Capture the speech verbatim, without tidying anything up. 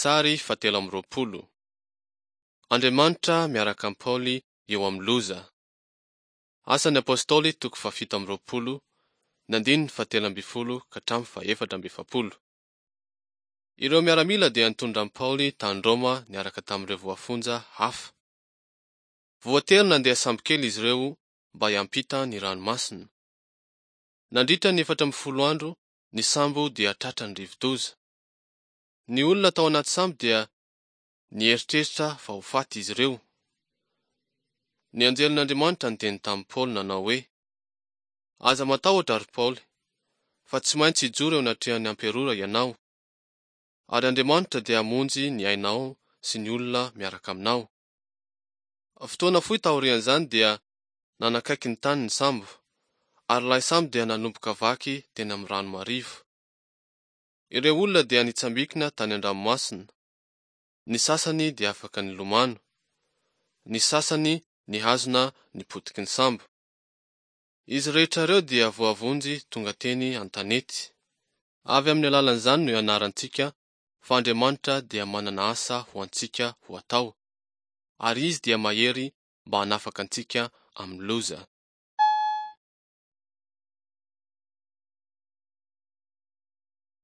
Sary fahatelo amby roapolo. Andriamanitra miaraka amin'i Paoly eo amin'ny loza. Asan'ny Apostoly toko fahafito amby roapolo, ny andininy fahatelo ambin'ny folo ka hatramin'ny fahefatra amby efapolo. Ireo miaramila dia nitondra an'i Paoly tany Roma niaraka tamin'ireo voafonja hafa. Voatery nandeha sambokely izy ireo mba hiampita ny ranomasina. Nandritra ny efatra ambin'ny folo andro, ny sambo dia tratran'ny rivodoza. Ny olona tao anaty sambo dia nieritreritra fa ho faty izy ireo. Ny anjelin'Andriamanitra niteny tamin'i Paoly nanao hoe: "Aza matahotra ry Paoly, fa tsy maintsy hijoro eo anatrehan'ny amperora ianao, ary Andriamanitra dia hamonjy ny ainao sy ny olona miaraka aminao." Fotoana fohy taorian'izany dia nanakaiky ny tany ny sambo, ary ilay sambo dia nanomboka vaky teny amin'ny rano marivo. Ireo olona dia nitsambikina tany an-dranomasina, ny sasany dia afaka nilomano, ny sasany nihazona ny potiky ny sambo. Izy rehetra ireo dia voavonjy tonga teny an-tanety. Avy amin'ny alalan'izany no ianarantsika fa Andriamanitra dia manana asa ho antsika ho atao, ary Izy dia mahery mba hanafaka antsika amin'ny loza.